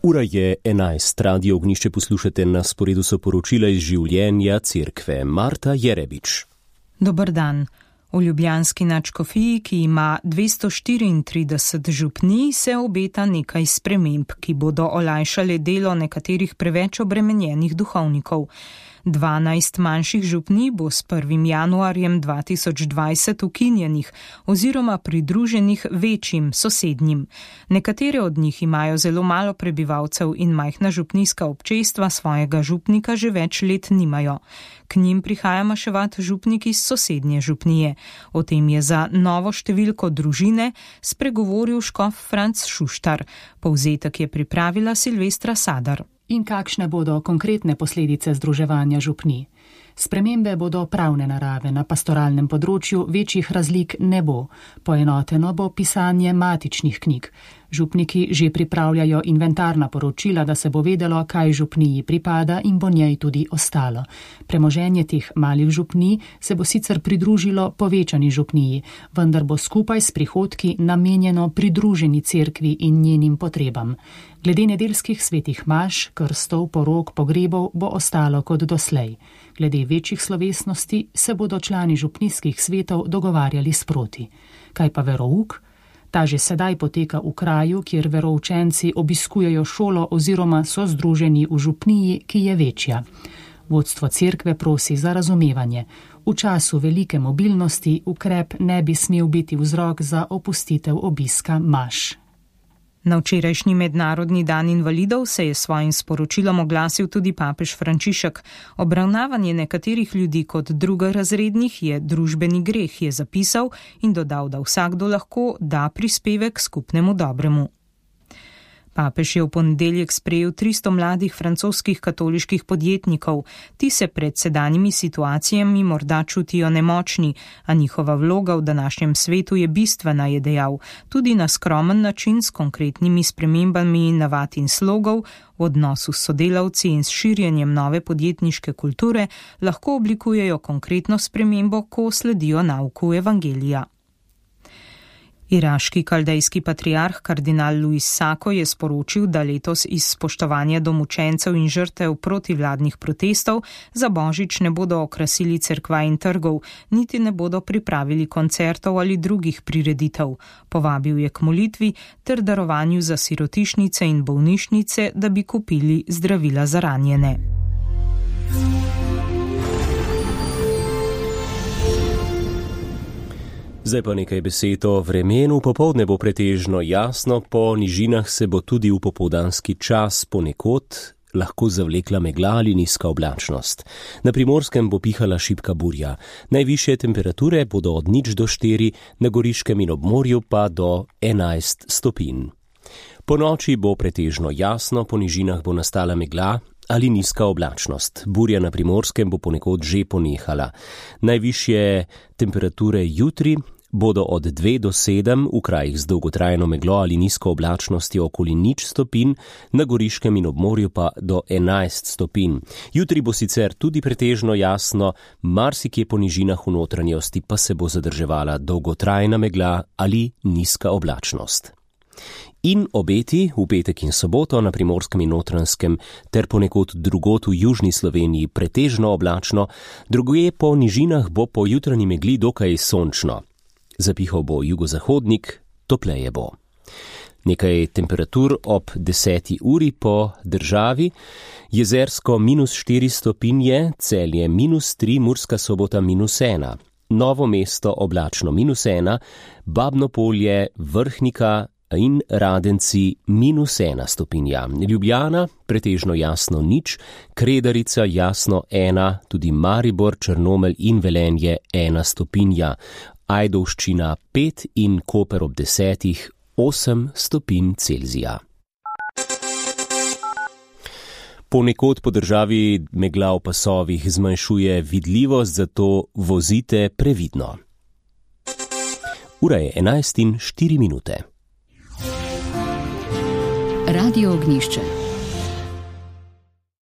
Ura je 11, Radio Ognišče poslušate, na sporedu so poročila iz življenja cerkve. Marta Jerebič. Dober dan. V ljubljanski nadškofiji, ki ima 234 župnij, se obeta nekaj sprememb, ki bodo olajšale delo nekaterih preveč obremenjenih duhovnikov. 12 manjših župnij bo s 1. januarjem 2020 ukinjenih oziroma pridruženih večjim sosednjim. Nekatere od njih imajo zelo malo prebivalcev in majhna župnijska občestva svojega župnika že več let nimajo. K njim prihaja maševat župnik iz sosednje župnije. O tem je za Novo številko družine spregovoril škof Franc Šuštar. Povzetek je pripravila Silvestra Sadar. In kakšne bodo konkretne posledice združevanja župnij? Spremembe bodo pravne narave, na pastoralnem področju večjih razlik ne bo. Poenoteno bo pisanje matičnih knjig. Župniki že pripravljajo inventarna poročila, da se bo vedelo, kaj župniji pripada in bo njej tudi ostalo. Premoženje teh malih župnij se bo sicer pridružilo povečani župniji, vendar bo skupaj s prihodki namenjeno pridruženi cerkvi in njenim potrebam. Glede nedeljskih svetih maš, krstov, porok, pogrebov bo ostalo kot doslej. Glede večjih slovesnosti se bodo člani župnijskih svetov dogovarjali sproti. Kaj pa verouk? Ta že sedaj poteka v kraju, kjer veroučenci obiskujejo šolo oziroma so združeni v župniji, ki je večja. Vodstvo cerkve prosi za razumevanje. V času velike mobilnosti ukrep ne bi smel biti vzrok za opustitev obiska maš. Na včerajšnji mednarodni dan invalidov se je svojim sporočilom oglasil tudi papež Frančišek. Obravnavanje nekaterih ljudi kot drugorazrednih je družbeni greh, je zapisal in dodal, da vsakdo lahko da prispevek skupnemu dobremu. Papež je v ponedeljek sprejel 300 mladih francoskih katoliških podjetnikov. Ti se pred sedanjimi situacijami morda čutijo nemočni, a njihova vloga v današnjem svetu je bistvena, je dejal. Tudi na skromen način s konkretnimi spremembami navad in slogov, v odnosu s sodelavci in s širjenjem nove podjetniške kulture lahko oblikujejo konkretno spremembo, ko sledijo nauku evangelija. Iraški kaldejski patriarh kardinal Luis Sako je sporočil, da letos iz spoštovanja do mučencev in žrtev protivladnih protestov za Božič ne bodo okrasili cerkva in trgov, niti ne bodo pripravili koncertov ali drugih prireditev. Povabil je k molitvi ter darovanju za sirotišnice in bolnišnice, da bi kupili zdravila za ranjene. Zdaj pa nekaj besed o vremenu. Popoldne bo pretežno jasno, po nižinah se bo tudi v popoldanski čas ponekod lahko zavlekla megla ali nizka oblačnost. Na Primorskem bo pihala šibka burja. Najvišje temperature bodo od 0 do 4, na Goriškem in ob morju pa do 11 stopinj. Po noči bo pretežno jasno, po nižinah bo nastala megla ali nizka oblačnost. Burja na Primorskem bo ponekod že ponehala. Najvišje temperature jutri bodo od 2 do 7, v krajih z dolgotrajno meglo ali nizko oblačnostjo okoli 0 stopinj, na Goriškem in ob morju pa do 11 stopinj. Jutri bo sicer tudi pretežno jasno, marsikje po nižinah v notranjosti pa se bo zadrževala dolgotrajna megla ali nizka oblačnost. In obeti v petek in soboto na Primorskem in Notranjskem ter ponekod drugot v južni Sloveniji pretežno oblačno, drugje po nižinah bo po jutranji megli dokaj sončno. Zapihal bo jugozahodnik, topleje bo. Nekaj temperatur ob 10. uri po državi. Jezersko -4 stopinje, Celje -3, Murska Sobota -1. Novo mesto oblačno -1, Babno Polje, Vrhnika in Radenci -1 stopinja. Ljubljana pretežno jasno 0, Kredarica jasno 1, tudi Maribor, Črnomelj in Velenje 1 stopinja. Ajdovščina 5 in Koper ob 10, 8 stopinj Celzija. Ponekod po državi megla v pasovih zmanjšuje vidljivost, zato vozite previdno. Ura je 11:04. Radio Ognišče.